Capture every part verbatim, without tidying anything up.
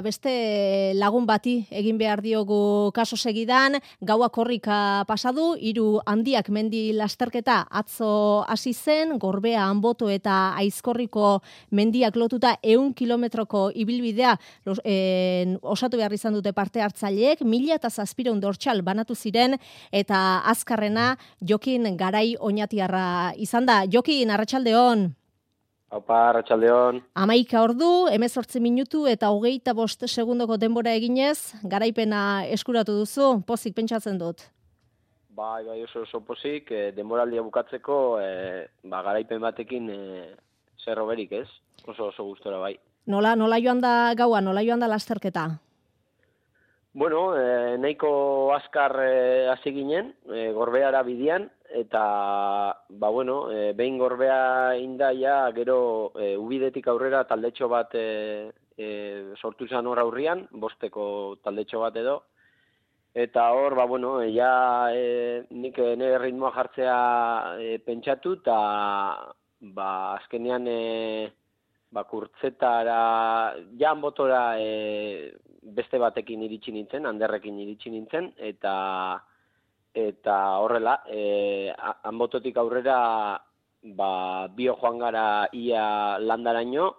Beste lagun bati egin behar diogu kaso segidan, gaua korrika pasadu, hiru handiak mendi lasterketa atzo hasi zen, Gorbea, Anboto eta Aizkorriko mendiak lotuta ehun kilometroko ibilbidea los, eh, osatu behar izan dute parte hartzaileek, mila eta zazpireun dortxal banatu ziren, eta azkarrena Jokin Garai Oñatiarra izan da. Jokin, arratsaldeon. Aupa, arratsaldeon. Hamaika ordu, hemezortzi minutu eta hogeita bost segundoko denbora eginez, garaipena eskuratu duzu, pozik pentsatzen dut. Bai, bai, oso oso pozik, e, denboraldia bukatzeko, e, ba, garaipen batekin e, zer hoberik, ez? Oso oso gustora bai. Nola, nola joan da gaua, nola joan da lasterketa? Bueno, e, nahiko azkar e, hasi ginen, e, Gorbeara bidian, eta, ba, bueno, e, behin Gorbea indaia, gero e, Ubidetik aurrera taldetxo bat e, e, sortu zen hor aurrian, bosteko taldetxo bat edo, eta hor, ba, bueno, e, ja e, nik nire ritmoa jartzea e, pentsatu, eta, ba, azkenean, e, ba, kurtzetara, ja Anbotora e, beste batekin iritsi nintzen, Anderrekin iritsi nintzen, eta eta horrela, e, Anbototik aurrera ba, bio joan gara ia landaraino,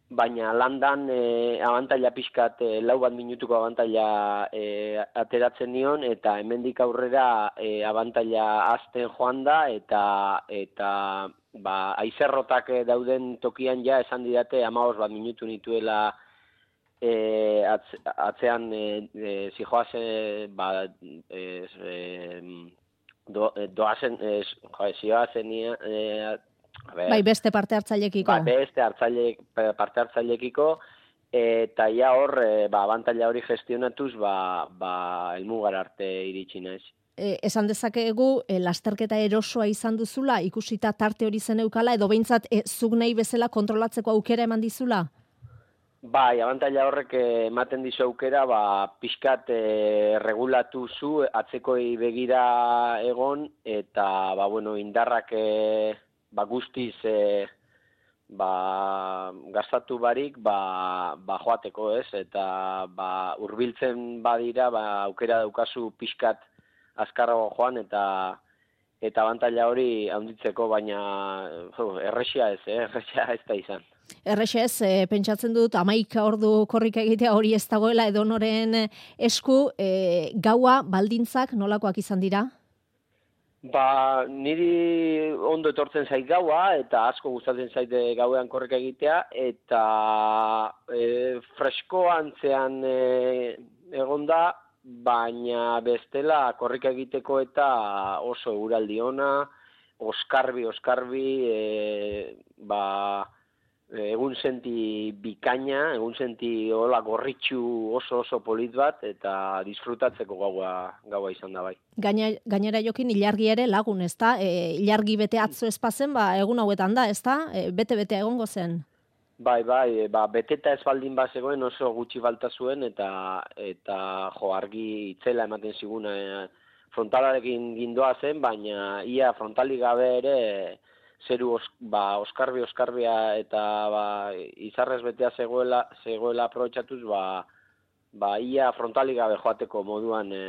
baina landan e, abantaila pixkat, e, lau bat minutuko abantaila e, ateratzen nion, eta hemendik aurrera e, abantaila azten joan da, eta, eta ba, aizerrotak dauden tokian ja esan didate hamabost bat minutu nituela E, atz, atzean e, e, zijoazen, ba, e, e, do, doazen, e, zioazen, e, bai, beste parte hartzailekiko. Ba, beste hartzaile, parte hartzailekiko, eta ja hor, e, ba, abantaila hori gestionatuz, ba, ba, elmugar arte iritsi naiz. E, esan dezakegu, e, lasterketa erosoa izan duzula, ikusita tarte hori zen eukala, edo behintzat e, zuk nahi bezala kontrolatzeko aukera eman dizula? Bai, abantaila horrek ematen dizu aukera, ba, pixkat e, regulatu zu, atzekoi begira egon, eta, ba, bueno, indarrak e, ba, guztiz e, ba, gastatu barik, ba, ba, joateko, ez? Eta, ba, hurbiltzen badira, ba, aukera daukazu pixkat azkarrago joan, eta eta abantaila hori handitzeko, baina jo, erresia ez, eh? erresia ez da izan. Errexe ez, e, pentsatzen dut, hamaika ordu korrika egitea hori ez dagoela edonoren esku, e, gaua baldintzak nolakoak izan dira? Ba, niri ondo etortzen zait gaua, eta asko gustatzen zait gauean korrika egitea, eta e, fresko antzean e, egonda, baina bestela korrika egiteko eta oso uraldi ona, oskarbi, oskarbi, e, ba, egun senti bikaina, egun senti hola gorritxu oso oso polit bat, eta disfrutatzeko gaua, gaua izan da bai. Gaina, gainera Jokin ilargi ere lagun, ezta? E, ilargi bete atzo espazen, ba, egun hauetan da, ezta? E, bete-bete egongo zen? Bai, bai, ba, beteta ez baldin bat zegoen oso gutxi falta zuen, eta, eta jo, argi itzela ematen ziguna e, frontalarekin gindoa zen, baina ia frontalik gabe ere zeru os, ba, oskarbi oskarbia eta ba, izarrez betea zegoela, zegoela aprobetxatuz, ba, ba, ia frontalik gabe joateko moduan e,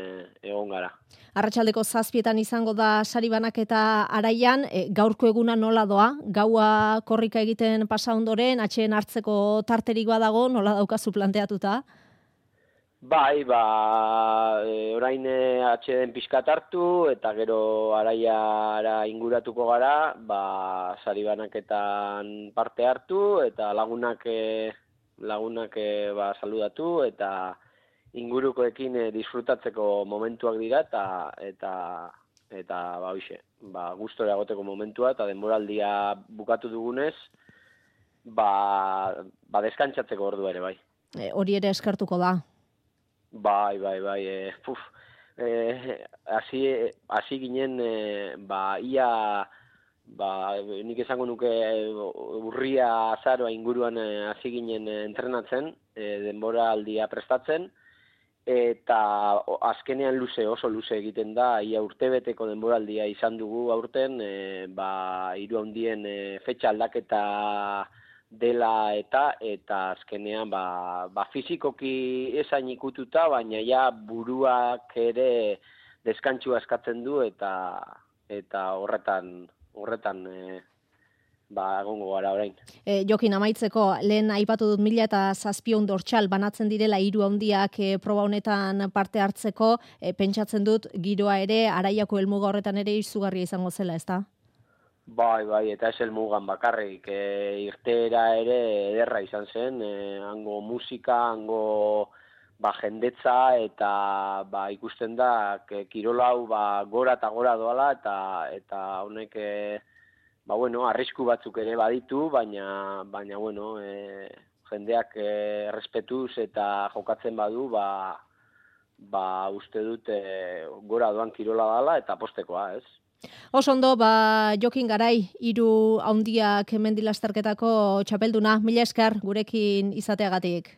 egon gara. Arratsaldeko zazpietan izango da sari banaketa araian, e, gaurko eguna nola doa? Gaua korrika egiten pasa ondoren, atxeen hartzeko tarterik badago, nola daukazu planteatuta? Bai, ba, e, orain atxeden pixkat hartu, eta gero araiara inguratuko gara, ba, sari banaketan parte hartu, eta lagunak, e, lagunak e, ba, saludatu, eta ingurukoekin e, disfrutatzeko momentuak dira, eta, eta, eta ba, hoxe, ba, gustora egoteko momentua, eta denboraldia bukatu dugunez, ba, ba deskantzatzeko ordua ere, bai. E, hori ere eskertuko da. Bai, bai, bai, e, puf, e, hasi, hasi ginen, e, ba, ia, ba, nik esango nuke urria azaroa inguruan hasi ginen entrenatzen, e, denbora aldia prestatzen, eta azkenean luze, oso luze egiten da, ia urtebeteko denboraldia izan dugu aurten, e, ba, hiru handien e, fetxa aldaketa dela eta eta azkenean ba, ba fizikoki esain ikututa, baina ja buruak ere deskantsua eskatzen du eta eta horretan horretan e, ba egongo gara orain. E, Jokin amaitzeko, lehen aipatu dut mila eta zazpiehun dortsal banatzen direla hiru handiak e, proba honetan parte hartzeko, e, pentsatzen dut giroa ere Araiako helmuga horretan ere izugarria izango zela, ezta? Bai, bai, eta ez helmugan bakarrik, e, irteera ere ederra izan zen, e, hango musika, hango ba, jendetza, eta ba, ikusten da, ke, kirolau ba, gora eta gora doala, eta eta honek e, ba, bueno, arrisku batzuk ere baditu, baina, baina bueno, e, jendeak e, errespetuz eta jokatzen badu, ba, ba, uste dut e, gora doan kirola dala eta postekoa, ez? Oso ondo, ba, Jokin Garai, hiru handiak mendi lasterketako txapelduna, mila esker gurekin izateagatik.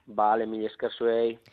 Bale, mila esker zuei.